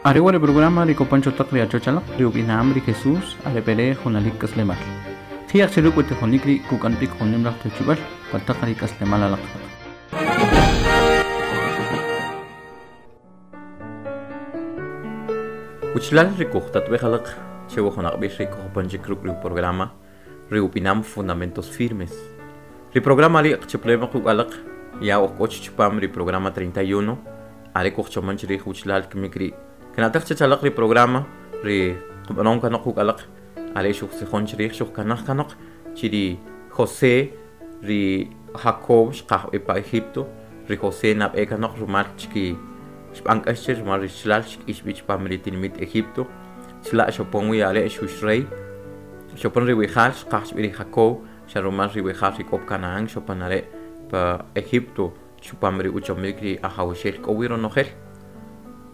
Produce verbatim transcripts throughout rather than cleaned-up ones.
Are wa ri programa ri kopancho taq ri achochalaq ri ub'inam ri Jesús are pere junalik k'aslemal. Jiaq chiruk utijonik ri kuk'anpik junim laj tewchib'al pataq ri k'aslemal alaq. Uchlal ri kuqtatb'ej alaq chewa junaqb'ij ri kojopanchik ruk' ri programa ri ub'inam Fundamentos Firmes. Ri programa ri qchaplema quk' alaq ya ojk'och chupam ri programa treinta y uno are kujchoman chrij uchlal kmik ri kna'taj chachalaq ri programa ri qb'anon kanoq quk' alaq are xujtzijon chrij xujkanaj kanoq chiri José ri Jacob xqaj pa Egipto ri José nab'e kanoq rumal chki xb'an k'ax che rumal ri chlal xk'ix b'i chupam ri tinimit Egipto chla' xopon wi are xux rey xopon ri wijal xqaj b'i ri Jacob xa rumal ri wijal ri k'o Canaán xopon are pa Egipto chupam ri uchomik ri ajawxel k'o wi ronojel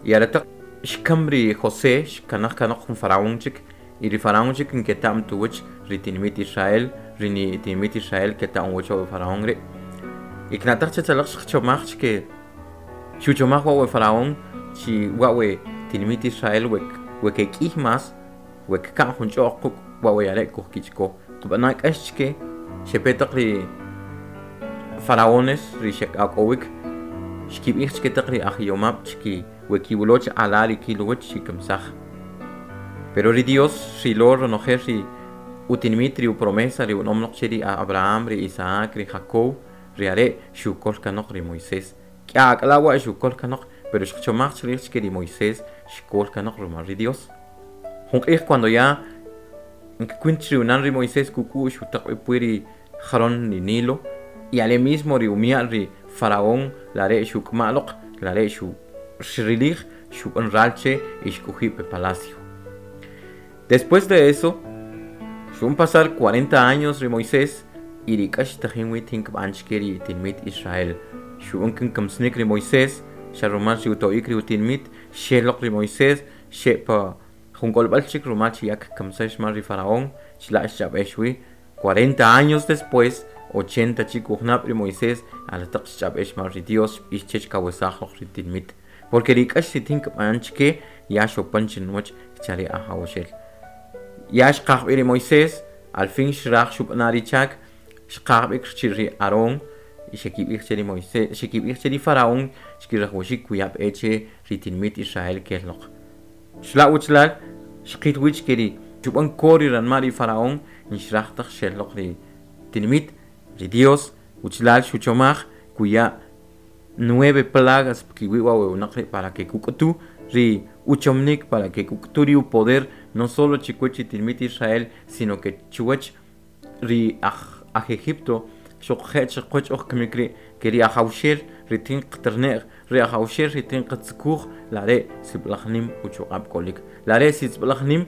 y are taq xkam ri José xkanaj kanoq jun faraón chik y ri faraón chik nketa'm tuwach ri tinimit Israel ri ni tinimit Israel keta'm wach wa faraón ri y kna'taj chachalaq xchomaj chke xuchomaj wa we faraón chi wa we tinimit Israel we we kek'ij mas we kka'n jun ch'oq quk' wa we are kujkichko qb'ana k'ax chke xepetaq ri faraones ri xek'ak'owik xkib'ij chke taq ri ajyomab' chki we kiwuloch ala ri kilwach xikamsaj pero ri Dios xilo ronojel ri utinimit ri upromesa ri unom noq che ri Abraham ri Isaac ri Jacob ri are xukol kanoq ri Moisés k'a ak'ala wa xukol kanoq pero xchomaj chrij chke ri Moisés xkol kanoq rumal ri Dios jun q'ij cuando ya nkwint ri unan ri Moisés kuk'u xutaq b'i ri jaron ri Nilo y ale mismo ri umial ri faraón lare xuk'maloq lare xu xrilij xub'an ralche y xk'uji pe palacio. Después de eso xun pasar cuarenta años ri Moisés y ri k'ax tajin wi tin kb'an chke ri tinmit Israel xub'an kin kamsnik ri Moisés xa rumal ri uto'ik ri utinmit xeloq ri Moisés xe pa jun k'olb'al chik rumal chi yak kamsax mal ri faraón chila' xch'ab'ex wi cuarenta años después ochenta chik ujnab' ri Moisés al taq xch'ab'ex mal ri Dios ixchech kawesaj loq ri tinmit porque ri k'ax ri tin kb'an chke ya xopan chinwach chari ajawxel ya xqaj b'i ri Moisés al fin xraj xub'ana ri chak xqaj b'ik chi ri Aarón y xekib'ij che ri Moisés xekib'ij che ri faraón xkirajwaxik kuyab' che ri tinmit Israel kel loq xla' uchlal xqil wich ke ri xub'an ko ri ranma' ri faraón nxraj taq xel loq ri tinmit ri Dios uchlal xuchomaj kuya nueve plagas kiwi wa we para que kuk'utu ri uchomnik para que kuk'utu ri upoder no solo chikuach ri tinmit Israel sino que chuwach ri aj aj Egipto xuqje' chiqwach oj kmik ri ke ri ajawxel ri tin qterne'j ri ajawxel ri tin qtzkuj lare sib'alaj nim uchuq'ab' k'olik lare sib'alaj nim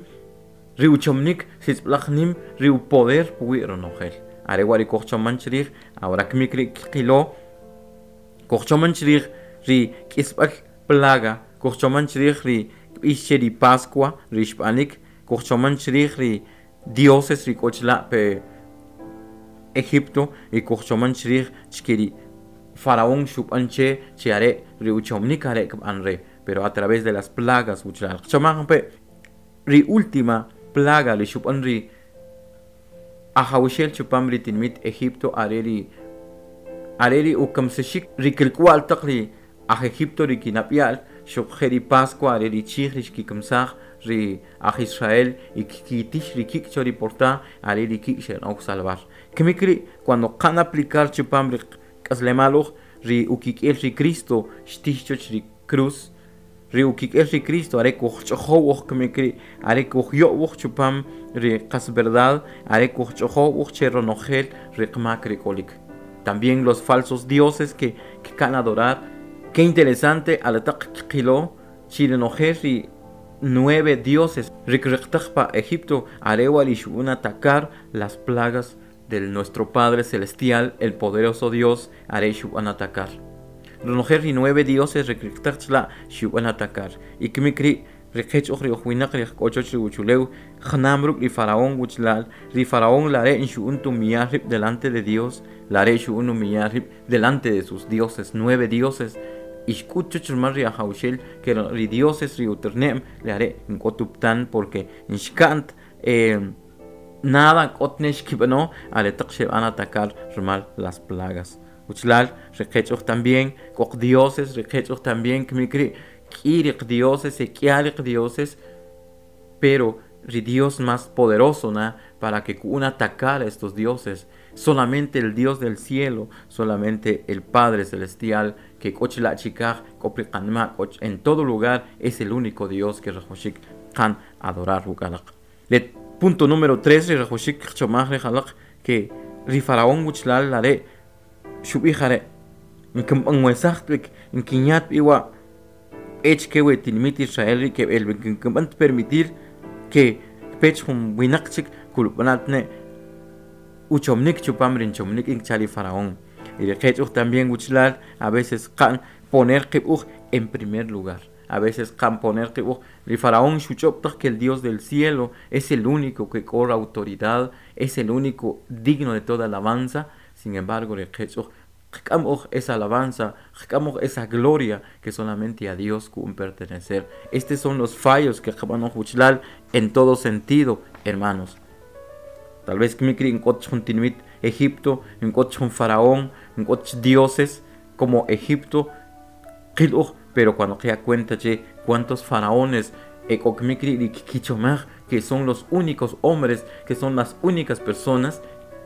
ri uchomnik sib'alaj nim ri upoder puwi' ronojel are wa ri kojchoman chrij ahora kmik ri qilo kojchoman chrij ri k'isb'al plaga kojchoman chrij ri kb'ix che ri Pascua ri xb'anik kojchoman chrij ri dioses ri k'o chila' pe Egipto y kojchoman chrij chke ri faraón xub'an che che are ri uchomnik are kb'an re pero a través de las plagas uchlal qchomaj pe ri última plaga ri xub'an ri ajawxel chupam ri tinmit Egipto are ri are ri ukamsexik ri kilk'wal taq ri aj Egipto ri kinap'yal xuqje' ri Pascua are ri chij ri xkikamsaj ri aj Israel y kkitix ri kik' cho ri porta are ri kik' xe'nok salvar kmik ri cuando qan aplicar chupam ri k'aslemal uj ri ukik'el ri Cristo xtix choch ri cruz ri ukik'el ri Cristo are kujch'ojow uj kmik ri are kujyo'w uj chupam ri qas verdad are kujch'ojow uj che ronojel ri qmak ri k'olik. También los falsos dioses que kkan adorar. Qué interesante al taq qilo chirenojel ri nueve dioses riqriqtaq pa Egipto arewa ri xub'an atacar las plagas de nuestro Padre Celestial, el poderoso Dios, are xub'an atacar. Ronojel ri nueve dioses riqriqtaq chla xub'an atacar. Y kmik ri riqech uj ri ujwinaq ri k'ochoch ri uchulew jnam ruk' ri faraón uchlal ri faraón lare xu'un tumillar rib' delante de Dios lare xu'un humillar rib' delante de sus dioses nueve dioses Ixk'ut chuch rumal ri ajawxel que ri dioses ri uterne'm le are' nk'ot uptan porque nxka'nt eh nada k'ot ne xkib'ano aretaq xeb'an atacar rumal las plagas. Uchlal riqech uj también k'o dioses riqech uj también kmik ri' k'i riq dioses k'ia riq dioses pero ri Dios más poderoso na para que ku'an atacar a estos dioses. Solamente el Dios del cielo, solamente el Padre celestial que k'o chila' chikaj k'o pi qanma' k'o en todo lugar es el único Dios que rajawxik qan adorar ruk' alaq. Le punto número tres ri rajawxik qchomaj rij alaq que ri faraón wichlal are' xub'ij are' nkinb'anwesaj b'ik nkinyat b'i wa' b'e chke we tinimit Israel rii' keb'el b'ik kinb'an permitir que pech jun winaq chik kulb'ana ne uchomnik chupam ri nchomnik in cha ri faraón. Y riqech uj también wichlal a veces qa'n poner qib' uj en primer lugar. A veces qan poner qib' uj ri faraón xuch'ob' taj que el Dios del cielo es el único que k'o autoridad, es el único digno de toda alabanza. Sin embargo, riqech uj qk'am uj esa alabanza, qk'am uj esa gloria que solamente a Dios ku'un pertenecer. Estos son los fallos que qb'an uj wichlal en todo sentido, hermanos. Tal vez kmik rii' nk'ot jun tinimit Egipto, nk'ot jun faraón, nk'ot dioses como Egipto, qil uj, pero cuando qya cuenta che cuántos faraones ek'o kmik rii' ri kkichomaj que son los únicos hombres, que son las únicas personas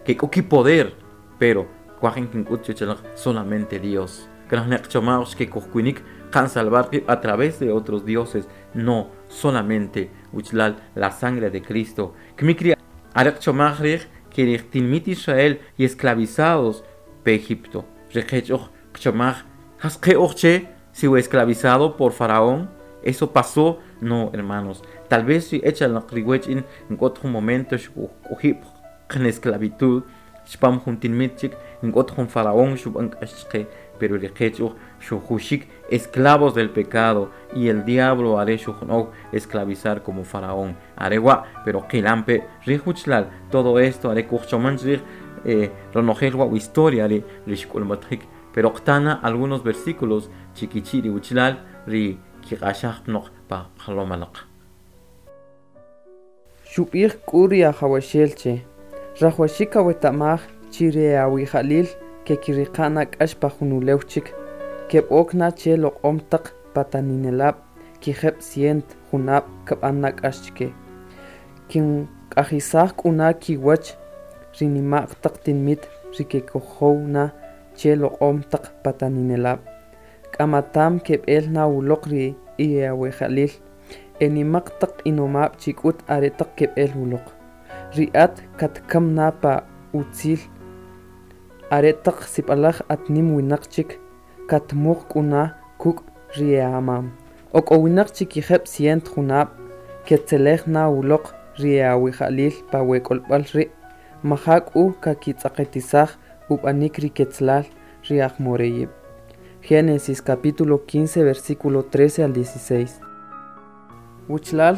que k'o kipoder, pero kwaj in kink'ut chuwach alaq solamente Dios. Kraj ne qchomaj que kujkunik qan salvar qib' a través de otros dioses. No, solamente wichlal la sangre de Cristo. Kmik rii' are qchomaj riij que ri tinimit Israel y esclavizados pe Egipto. Riqech uj qchomaj jas qe uj che si we esclavizado por Faraón, eso pasó. No, hermanos. Tal vez si echa alaq riwech in nk'ot jun momento xkujk'oji' qen esclavitud chpam jun tinimit chik nk'ot jun faraón xub'an k'ax chqe, pero riqech uj xujuxik esclavos del pecado y el diablo are xujnow esclavizar como faraón. Are wa' pero qilampe rij wichlal todo esto are kujchoman chrij eh, ronojel wa' historia ri ri xk'ulmatjik, pero qtana algunos versículos chikichi' ri wichlal ri kiq'axaj pnoq pa jlom alaq. Xub'ij k'u ri ajawaxel che rajwaxik aweta'maj chi ri awija'lil kekiriqa' na k'ax pa jun ulew chik keb'ok na che loq'om taq pataninelab' kijeb' cient junab' kb'an na k'ax chke kink'ajisaj k'u na kiwach ri nima'q taq tinimit ri kekojow na che loq'om taq pataninelab' k'amatam keb'el na uloq ri iawija'lil e nimaq taq inomab' chik'ut are taq keb'el uloq ri at katkam na pa utzil are taq sib'alaj at nim winaq chik katmuq k'u na kuk' ri e'amam ok'owinaq chi kijeb' cient junab' ketzelej na uloq ri e'awija'lil pa we k'olb'al rii' maja' k'u kakitz'aqatisaj ub'anik ri ketzlal ri ajmoreyib'. Génesis capítulo quince versículo trece al dieciséis. Wuchlal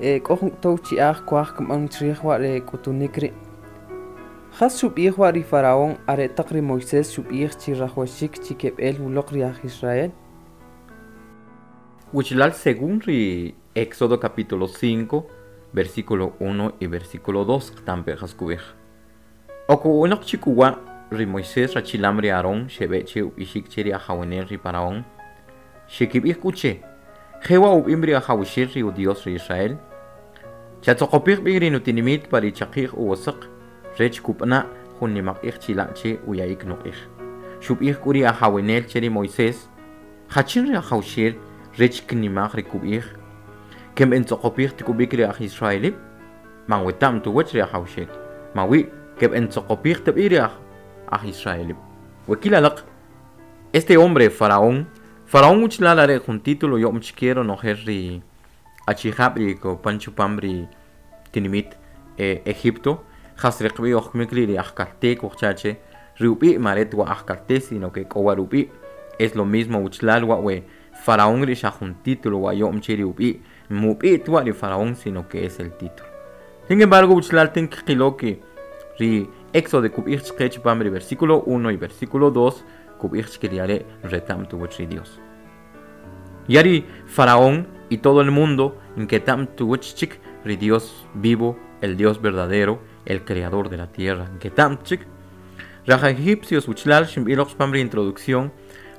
eh, k'o jun tow chi'aj kwaj kb'an chrij wa' re k'utunik rii'. Jas xub'ij wa' ri faraón are taq ri Moisés xub'ij chi rajwaxik chi keb'el uloq ri aj Israel? Wichlal según ri Éxodo capítulo cinco, versículo uno y versículo dos qtampe jas kub'ij. Ok'uwinaq chik uwa' ri Moisés rachilam ri Aarón xeb'e che ub'ixik che ri ajawenel ri Faraón. Xekib'ij k'u che, jewa' ub'im ri ajawaxel ri uDios ri Israel. Chatzoqopij b'i ri nutinimit pa ri chaqi'j uwosaq rech kub'ana' jun nimaq'ij chila' che uya'ik nuq'ij. Xub'ij k'u ri ajawenel che ri Moisés, jachin ri ajawaxel rech kinimaj ri kub'ij, keb'entzoqopij tikub'ik ri aj Israelib', man weta'm tuwach ri ajawaxel, mawi keb'entzoqopij tib'i ri aj aj Israelib'. Wekil alaq, este hombre Faraón, Faraón wichlal are jun título yo'm chike ronojel ri achijab' ri kopan chupam ri tinimit eh, Egipto, jas riqb'i oj kmik ri ajkaltee kujcha che ri ub'i' maret wa ajkaltee sino que k'o wa rub'i' es lo mismo wichlal wa we Faraón ri xa jun título wa yo'm che ri ub'i' mub'i' twa ri Faraón sino que es el título. Sin embargo wichlal tin qilo que ri Éxodo kub'ij chqe chupam ri versículo uno y versículo dos kub'ij chke ri are' reta'm tuwach ri Dios. Yari Faraón y todo el mundo nketam tuwach chik ri Dios vivo, el Dios verdadero, el creador de la tierra. Nketam chik. Raj egipcios uchlal ximbiloq pam ri introducción.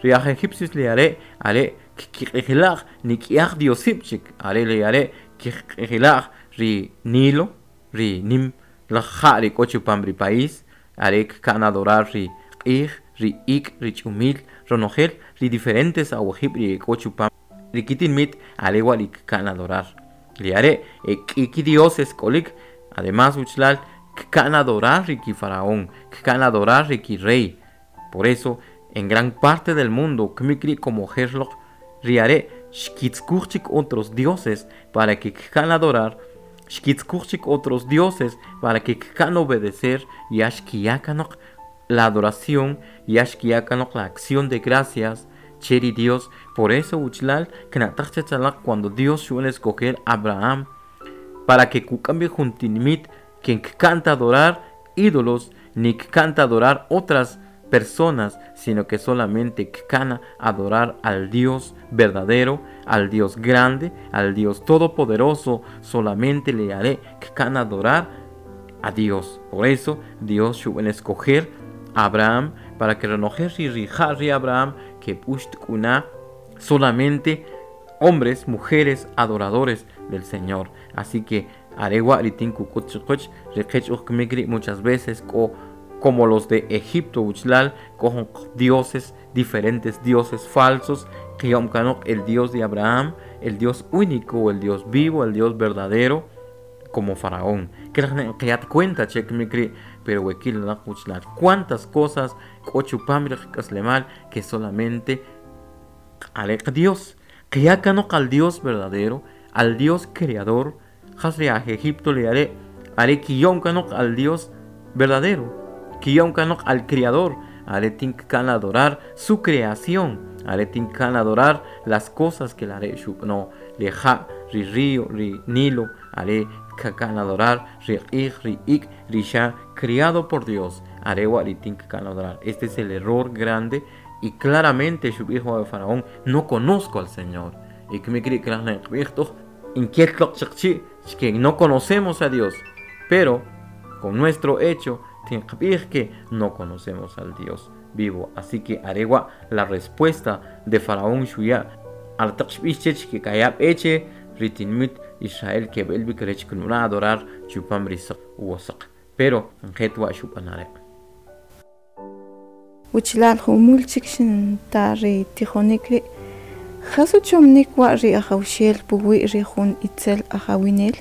Raj egipcios le are are kkiq'ijilaj nik'iaj diosib chik are le are kkiq'ijilaj ri Nilo ri nim laj ja' ri k'o chupam ri país are kka'n adorar ri q'ij ri ik' ri ch'umil ronojel ri diferentes awajib' ri k'o chupam ri kitinmit are wa ri kka'n adorar ri are' e k'i kidioses k'olik además uchlal kka'n adorar ri ki faraón kka'n adorar ri ki rey. Por eso en gran parte del mundo kmik ri' como ojer loq ri are' xkitzkuj chik otros dioses para que kka'n adorar xkitzkuj chik otros dioses para que kka'n obedecer ya xkiya kanoq la adoración ya xkiya kanoq la acción de gracias che ri Dios. Por eso uchlal kna'taj chech alaq cuando Dios xu'an escoger Abraham para que kuk'am b'i jun tinimit que kka'n ta adorar ídolos ni kka'n ta adorar otras personas, sino que solamente kka'n adorar al Dios verdadero, al Dios grande, al Dios todopoderoso, solamente le haré kka'n adorar a Dios. Por eso Dios xu'an escoger a Abraham para que renojel ri rija' ri Abraham que p'uxt k'una solamente hombres, mujeres adoradores del Señor. Así que are wa' ri tin kuk'ut chiqwach ri qech uj kmik ri' muchas veces k'o como los de Egipto uchlal k'o jun dioses, diferentes dioses falsos qiyom kanoq el Dios de Abraham, el Dios único, el Dios vivo, el Dios verdadero, como Faraón. Qiyat cuenta che kmik ri' pero we kil alaq uchlal cuántas cosas k'o chupam ri qak'aslemal que solamente are Dios qiya kanoq al Dios verdadero, al Dios creador. Jas ri aj Egipto le are' are kiyom kanoq al Dios verdadero, kiyom kanoq al creador, are tin kka'n adorar su creación, are tin kka'n adorar las cosas que la are' xub'ano ri ja' ri río ri Nilo are kka'n adorar ri q'ij ri ik' ri xa criado por Dios are wa ri tin kka'n adorar. Este es el error grande y claramente xub'ij wa Faraón: no conozco al Señor. Y kmik ri' kraj ne qb'ij toj inquiet loq chiqchi' que no conocemos a Dios, pero con nuestro hecho tinqb'ij que no conocemos al Dios vivo. Así que are wa' la respuesta de Faraón xuya al taq xb'ix chech que kaya b'e che ri tinmit Israel keb'el b'ik rech kinb'ana adorar chupam ri saq uwo saq, pero njet wa' xub'an are'. Wichlal jumul chik xinta ri tijonik ri' jas uchomnik wa' ri ajawxel puwi' ri jun itzel ajawinel.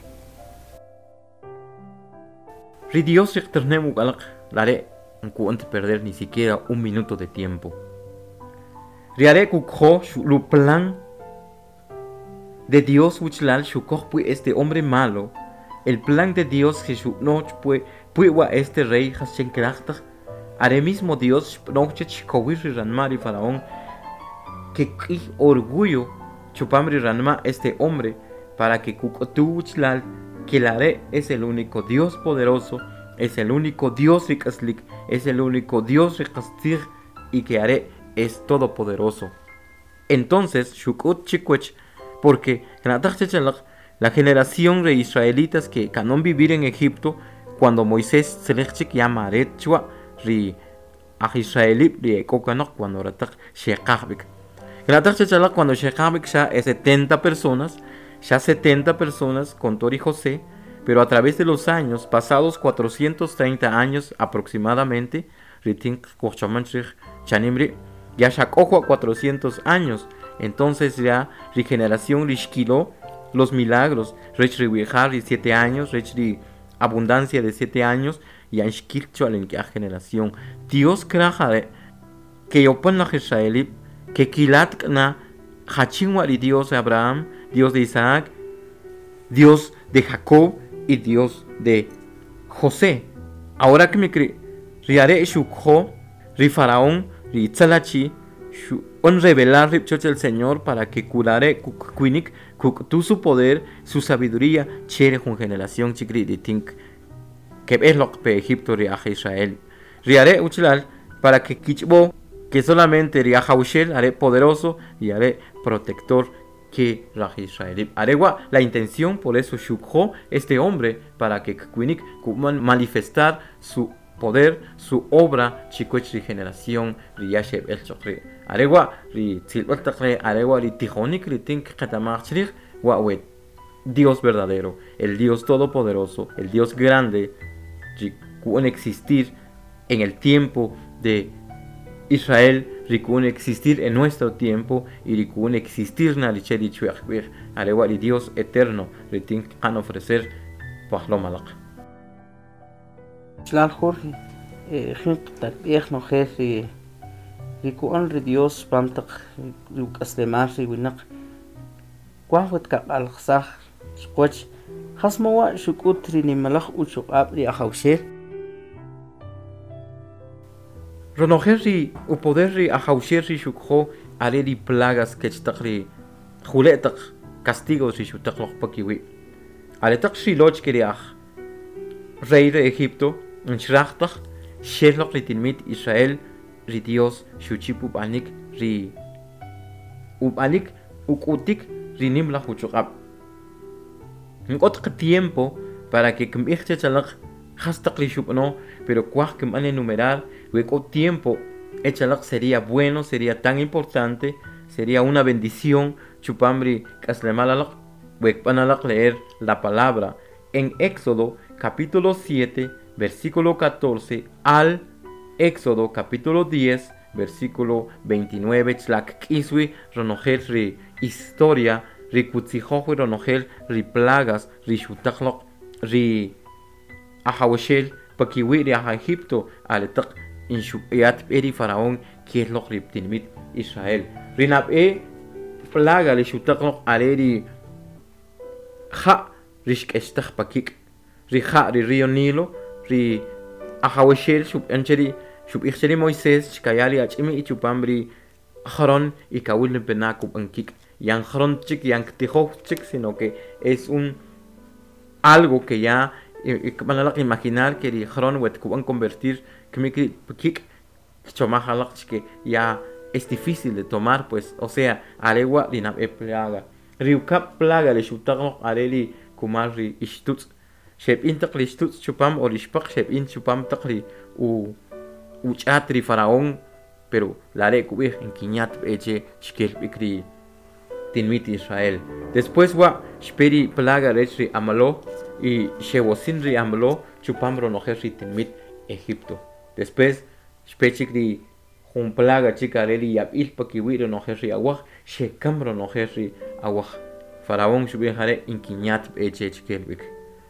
Ri Dios riqternem uk'alaq lare' nku'ant perder ni siquiera un minuto de tiempo. Ri are' kukjo lu plan de Dios uchlal xukoj pui este hombre malo. El plan de Dios que xub'noch pui pui wa este rey jas xenkrajtaj are mismo Dios xb'noch chech xkowir ri ranma' ri Faraón que k'ij orgullo chupam ri ranma' este hombre para que kuk'utu uchlal que el are' es el único Dios poderoso, es el único Dios rik'aslik, es el único Dios riqastzij y que are' es todopoderoso. Entonces xuk'ut chikwech porque kna'taj chech alaq la generación de israelitas que kanón vivir en Egipto cuando Moisés tzelej chik ya maret chwa ri aj israelib ri ek'o kanoq cuando rataq xeqaj b'ik. Kna'taj chech alaq cuando xeqaj b'ik xa setenta personas, ya setenta personas con Tori José, pero a través de los años, pasados cuatrocientos treinta años aproximadamente, ritin kojchaman chrij chanim ri', ya xak'oj wa cuatrocientos años, entonces ya ri generación rixkilo los milagros, rech ri wi'jal ri siete años, rech ri abundancia de siete años, ya xkil chwal en generación. Dios kraj are' que yopan laj israelib, que kilat k'na jachin wa ri Dios de Abraham, Dios de Isaac, Dios de Jacob y Dios de José. Ahora que me cre, ri are' xukjo, ri faraón, ri itzalachi, xu on revelar rib' choch el Señor para que curare kuk-kuinik kuk'tu su poder, su sabiduría, chere jun generación chik ri' ri tink keb'el loq pe Egipto ri aj Israel. Ri are' uchlal para que kichb'o Que solamente ri Ajawxel are poderoso y are protector que raj Israelib. Arewa la intención, por eso xukjo este hombre para que kwinik kuman manifestar su poder, su obra chikuech ri generación ri yasheb el chokri. Arewa ri tzilb'al taq arewa ri tijonik ri tink qetamaj chrij wa we Dios verdadero, el Dios todopoderoso, el Dios grande, ri existir en el tiempo de Israel, rikun existir en nuestro tiempo y rikun existir na richeri chuakbir arewa ri Dios eterno ritin kan ofrecer pajlomalaq. Chlal Jorge, jin qtatb'ej nojel ri riku'an ri Dios pam taq ruk'aslemal ri winaq kuaj wet kaq'alqsaj xqwach jas mowa xuk'ut ri nimalaj uchuq'ab' ri ajawxel. Ronojel ri upoder ri ajawxel ri xukjo are ri plagas kech taq ri jule' taq castigos ri xutaq loq pakiwi'. Are taq xiloch ke ri aj rey de Egipto nchraj taq xel loq ri tinmit Israel ri Dios xuchip ub'anik ri ub'anik uk'utik ri nim laj uchuq'ab'. Nk'ot tiempo para que kmb'ij chechalaq jas taq ri xub'ano, pero kuaj kmb'an enumerar we tiempo echalaq sería bueno, sería tan importante, sería una bendición chupamri k'aslemal alaq wekb'an alaq leer la palabra en Éxodo capítulo siete versículo catorce al Éxodo capítulo diez versículo veintinueve chlak k'iswi ronojel ri historia ri kutzijoj ronojel ri plagas ri xutaqloq ri ajawxel pakiwi ri aj Egipto aletaq inxu'yat b'e ri faraón kiel loq ri tinmit Israel. Ri nab'e plaga ri xutaqloq are ri ja' ri xk'extaj pakik' ri ja' ri río Nilo ri ajawxel xub'an che ri xub'ij che ri Moisés xkaya ri ach'imi ichupam ri joron y kawil pena kub'an kik' yan joron chik yan ktijoj chik, sino que es un algo que ya kb'an alaq imaginar que ri joron wet kub'an convertir kmik kik chomaj alaq que ya es difícil de tomar, pues, o sea, arewa ri nab'e plaga ri ukab' plaga ri xutaqloq are ri kumal ri ixtutz' xeb'in taq ri ixtutz' chupam o ri ixpaq xeb'in chupam taq ri u uch'at ri faraón, pero lare kub'ij inkiñat b'eche xkel b'ik ri tinmit Israel. Después wa xpe ri plaga rech ri amalo y xewosin ri amalo chupam ronojel ri tinmit Egipto. Después xpe chik ri jun plaga chik are ri yab'il pakiwi' ronojel ri awaj xekam ronojel ri awaj. Faraón xub'ij are inkiñat b'eche xkel b'ik.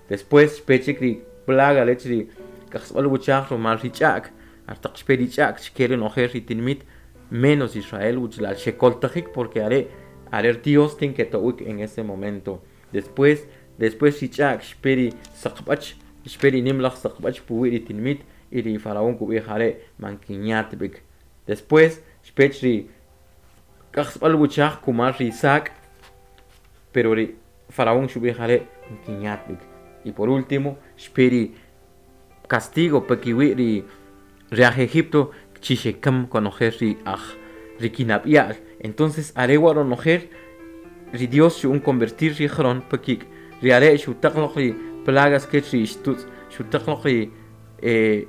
Después xpe chik ri plaga rech ri kajsb'al wuchaj rumal ri ch'a'k artaq xpe ri ch'a'k xkel ronojel ri tinmit menos Israel wuchlal xekoltajik porque are are Dios tin que to'ik en ese momento. Después después ri ch'a'k xpe ri saqb'ach xpe ri nimlaj saqb'ach puwi' ri tinmit y ri faraón kub'ij are mankiñat b'ik. Después xpech ri kajsb'al wuchaj kumal ri sak, pero ri faraón xub'ij are mankiñat b'ik. Y por último xpe ri castigo pakiwi' ri ri aj Egipto chixekam konojel ri aj ri kinab'ya'l. Entonces arewa ronojel ri Dios xu'un convertir ri joron pakik' ri are xutaqloq ri plagas kech ri ixtutz' xutaqloq ri eh,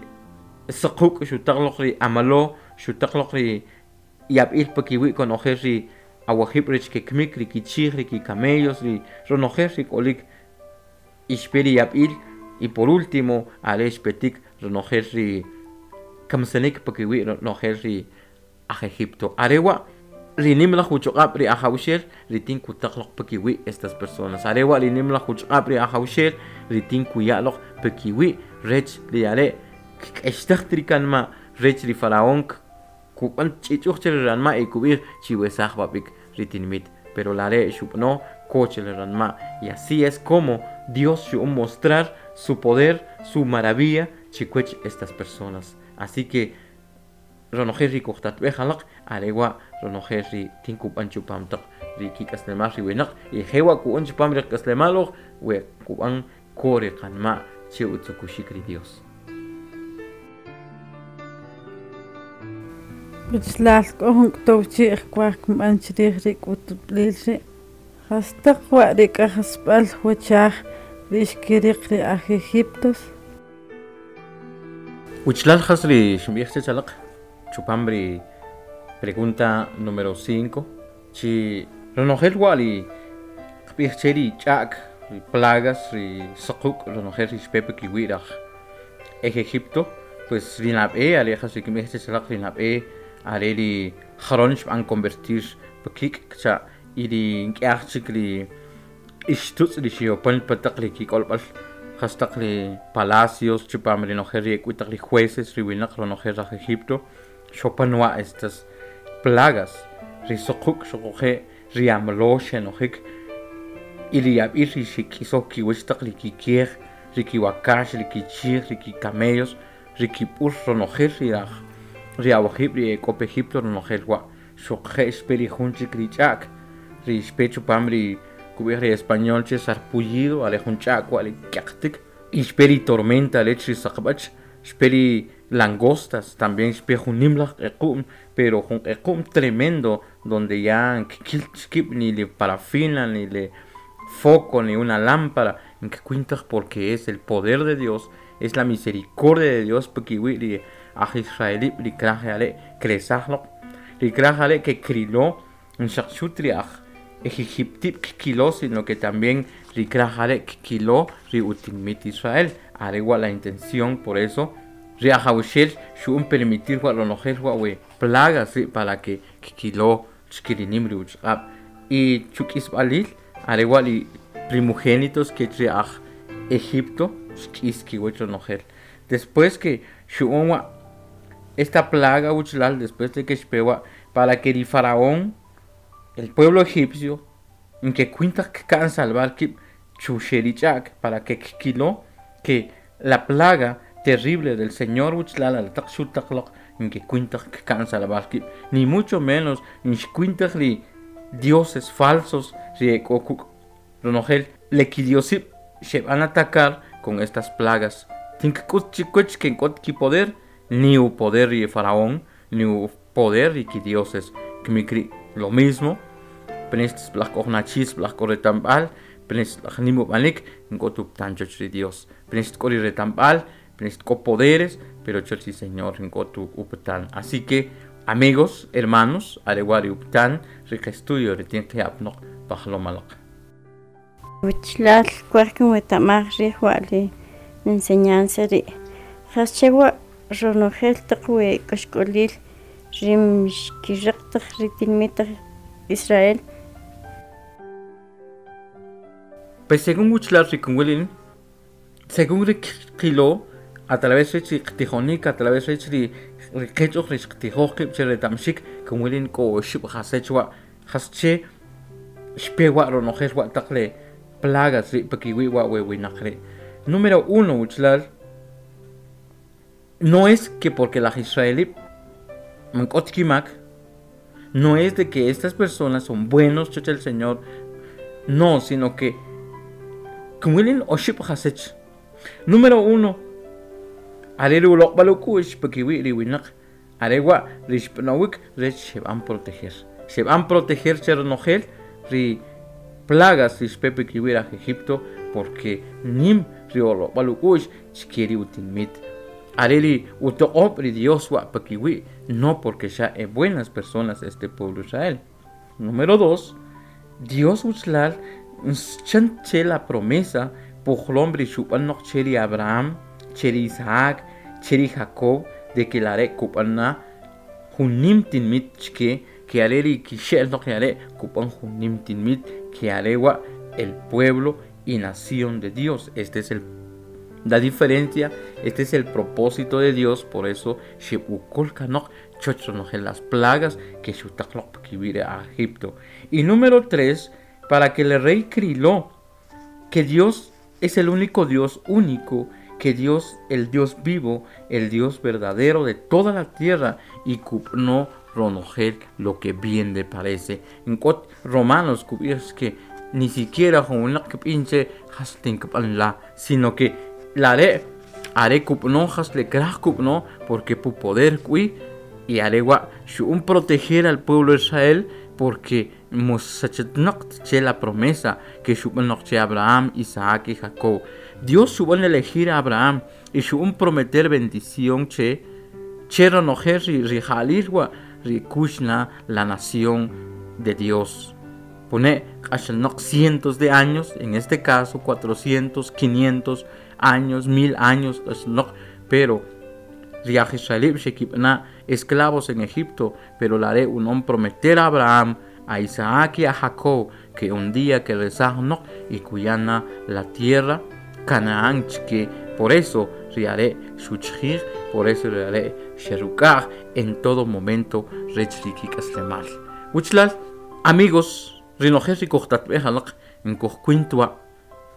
saquk' xutaqloq ri amalo xutaqloq ri yab'il pakiwi' konojel ri awajib' rech kekmik ri kichij ri kikamellos ri ronojel ri k'olik ixpe ri yab'il. Y por último are xpetik ronojel ri kamsanik pakiwi' ronojel ri aj Egipto. Arewa ri nimlaj uchuq'ab' ri ajawxel ri tin kutaqloq pakiwi' estas personas. Arewa ri nimlaj uchuq'ab' ri ajawxel ri tin kuya'loq pakiwi' rech ri are kk'extaj ri kanma' rech ri faraón kub'an ch'ich'uj che ri ranma' y kub'ij chiwesaj b'ab'ik ri tinmit, pero lare xub'ano ko che ri ranma'. Y así es como Dios xu'un mostrar su poder, su maravilla chikwech estas personas. Así que ronojel ri kujtatb'ej alaq arewa ronojel ri tin kub'an chupam taq ri kik'aslemal ri winaq y jewa ku'an chupam ri k'aslemal we kub'an ko ri qanma' che utzukuxik ri Dios. Wichlal k'o jun k'utuw chi'j kwaj kinb'an chiriij ri k'utb'aliil rii' jastaq wa ri k'ajsab'al wachaj ri xkiriq ri aj Egiptos. Wichlal jas ri xinb'ij chech alaq chupam ri pregunta número cinco chi ronojel wa ri qb'ij che ri ch'a'k ri plagas ri saquk' ronojel ri xpe pikiwi' raj ej Egipto pues ri nab'e are jas ri kinb'ij chech alaq ri nab'e are ri joron xb'an convertir pi kik' kcha' y ri nk'yaj chik ri ixtutz' ri xiyo'pan pi taq ri kik'olb'al jas taq ri palacios chipam ronojel ri e k'o wii' taq ri jueces ri wunaq ronojel aj Egipto xopan wa estas plagas ri suquk' xuquje' ri amlo xenojik y ri yab'iil ri xik'isow kiwach taq ri kikeej ri kiwakax ri kichiij ri kicamellos ri kib'ur ronojel ri aj ri awajib' ri e k'o pi Egipto ronojel wa' xuquje' xpe ri jun chik ri ch'a'k ri xpe chupam ri kub'ij ri español che sarpullido are jun ch'a'k wa' ri kyaqtik y xpe ri tormenta rech ri saqb'ach xpe ri langostas tambien xpe jun nim laj q'equ'm pero jun q'equ'm tremendo donde ya kikilt kiib' ni li parafina ni le foco ni una lámpara nkikwin taj porque es el poder de Dios es la misericordia de Dios pikiwi' ri aj israelib' ri kraj are' kresaj loq ri kraj are' ke krilo xaq xu't ri aj ejiptib' kkilo sino que tambien ri kraj are' kkilo ri utinmit Israel are wa' la intención por eso ri ajawxel xu'an permitir wa ronojel wa we plagas rii' para que kkilo chikirinim ri uchoq'ab' y chu k'isb'aliil are wa' ri primogénitos kech ri aj Egipto xk'is kiwach ronojel después que xu'an wa' esta plaga wachalal después de que xpe wa' para que ri faraón el pueblo egipcio nkekwin taj kika'n salvar kiib' chuxe' ri ch'a'k para que kkilo que la plaga terrible del Señor wachalal aretaq xutaq loq nkekwin taj kika'n salvar kiib' ni mucho menos nxkwin taj ri dioses falsos ri e k'o kuk' ronojel le kidiosib' xeb'an atacar con estas plagas tink'ut chikwach ke k'ot kipoder ni upoder ri faraón ni upoder ri kidioses kimik rii' lo mismo pines sib'alaj k'o jun achii sib'alaj k'o reta'mb'al pines sib'alaj nim ub'anik nk'ot upatan choch ri Dios pines k'o ri reta'mb'al pines k'o poderes pero choch ri Señor nk'ot upatan así que amigos hermanos are wa' ri upatan ri qestudio ri tin qya' apanoq pajloom alaq. Wichlal kwaj kinweta'maj riij wa li enseñanza rii' jasche wa' ronojel taq we k'axk'oliil ri xkiriq taq ri tinimit aj Israel. Pues según wichlal ri kinwil según ri qilo a través rech ri qtijonik a través rech ri ri qech'oj ri xqtijoj qiib' che reta'mxik kinwilin k'o oxib' jasech wa' jasche xpe wa' ronojel wa' taq le plagas rii' pikiwi' wa we winaq rii' número uno wichlal no es que porque laj israelib' man k'ot kimak no es de que estas personas son buenos choch el Señor no sino que kinwilin oxib' jasech número uno are ri uloq'b'al uk'u'x pikiwi' ri winaq are wa' ri xb'anowik rech xeb'an proteger xeb'an proteger che ronojel ri plagas ri xpe pikiwi' aj Egipto porque nim ri uloq'b'al uk'u'x chike ri utinmit are ri utoq'ob' ri Dios wa' pikiwi' no porque xa e buenas personas este pueblo Israel número dos Dios wichlal chan che la promesa pujlom ri xub'an noq che ri Abraham che ri Isaac che ri Jacob de que lare' kub'an na jun nim tinmit chike ke are ri kixe'l noq are' kub'an jun nim tinmit ke are wa' el pueblo y nación de Dios este es el la diferencia este es el propósito de Dios por eso xeb'ukol kanoq choch ronojel las plagas que xutaq loq pikiwi' ri aj Egipto y número tres para que el rey kriló que Dios es el único Dios único que Dios el Dios vivo el Dios verdadero de toda la tierra y kub'no ronojel lo que bien le parece nk'ot Romanos kub'ij que ni siquiera jun winaq kb'in che jas tinkb'an la sino que lare' are kub'no jas le kraj kub'no porque pu poder k'wi Y arewa shu'un proteger al pueblo de Israel porque mosachetnoq che la promesa que xub'an che Abraham, Isaac y Jacob. Dios xub'an elegir a Abraham y xu'un prometer bendición che che ronojer ri rija'lil wa ri kuxna la nación de Dios. Pone q'axalnoq cientos de años, en este caso cuatrocientos, quinientos años, mil años, q'axalnoq, pero ri aj israelib xekib'ana esclavos en Egipto, pero la haré un prometer a Abraham, a Isaac y a Jacob que un día que rezajnoq y kuyana la tierra Canaán, que por eso riaré xuchjij, por eso riaré xerukaj en todo momento rech rikik'aslemal. Wuchlal, amigos, rinojel rikojtatb'ej alaq nkojkuintwa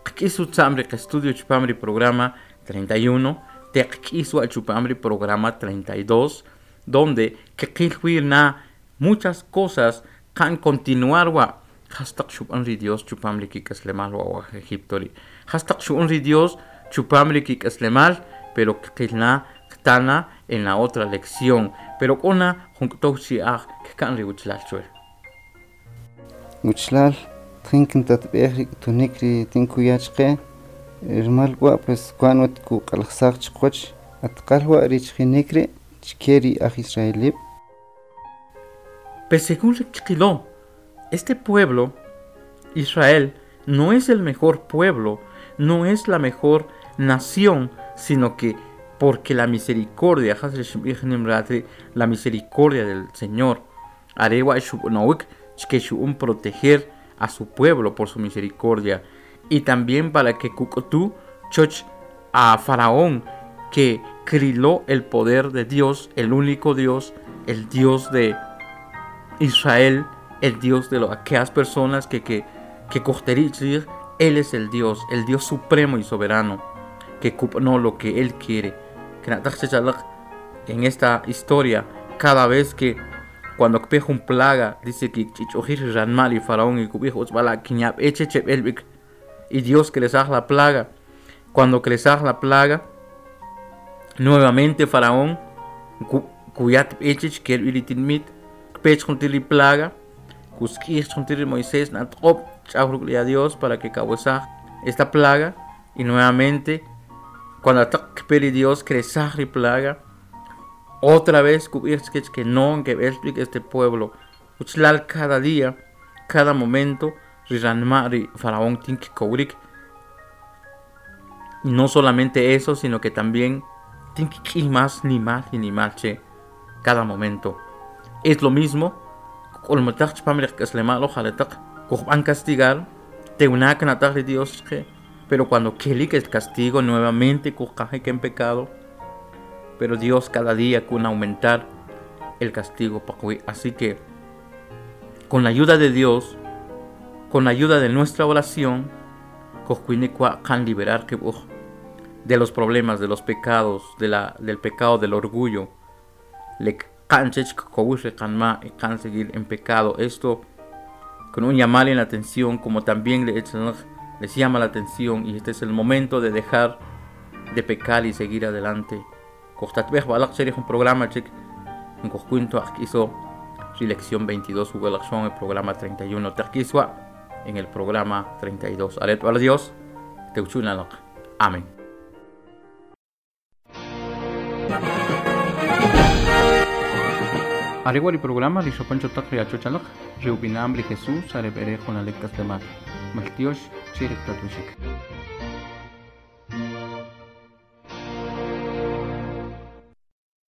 qk'is utza'm ri qestudio chupam ri programa treinta y uno, teqk'is wa chupam ri programa treinta y dos, donde kqil na muchas cosas kan continuar wa jastaq xub'an ri Dios chupam ri kik'aslemal wa wa Egipto ri jastaq xub'an ri Dios chupam ri kik'aslemal, pero kqilna ktana en la otra lección, pero k'ona junk'tow chi'aj kkan ri wuchlal chwe. Wuchlal tjin kintatb'ej ri k'utunik ri tinkuya chqe rmal wa pues kwan wat kuq'alajsaj chiqwach atqal wa ri chjinik ri chke ri aj israelib. Pues según Qiló, este pueblo, Israel, no es el mejor pueblo, no es la mejor nación, sino que porque la misericordia, la misericordia del Señor, arewa xub'nowik que xu'un proteger a su pueblo por su misericordia, y también para que kuk'utu choch a Faraón, que criló el poder de Dios, el único Dios, el Dios de Israel, el Dios de lo, aquellas personas que, que, que cojterich, Él es el Dios, el Dios supremo y soberano, que no lo que Él quiere. En esta historia, cada vez que cuando un plaga, dice que y Faraón y y Dios que les haga la plaga. Cuando que les haga la plaga, nuevamente Faraón, plaga, Moisés, a Dios para que causa esta plaga, y nuevamente cuando ataque Dios crezar y plaga, otra vez que no que este pueblo uchlal cada día, cada momento riranma Faraón tink kourik. Y no solamente eso, sino que también tink más ni más ni más che cada momento. Es lo mismo castigar Dios, pero cuando que el castigo nuevamente en pecado, pero Dios cada día con aumentar el castigo. Así que con la ayuda de Dios, con la ayuda de nuestra oración, can liberar de los problemas, de los pecados, de la, del pecado del orgullo. Le can seguir en pecado. Esto con un llamar en la atención, como también les llama la atención, y este es el momento de dejar de pecar y seguir adelante. Un programa hizo lección veintidós, el programa treinta y uno, en el programa treinta y dos. Dios, Amén. Areguari programa Rishopancho Takri Achochalak, Reubinamri Jesús, Arebere Jonalek Kaslemar, Maltiosh, Chirek Tatushik.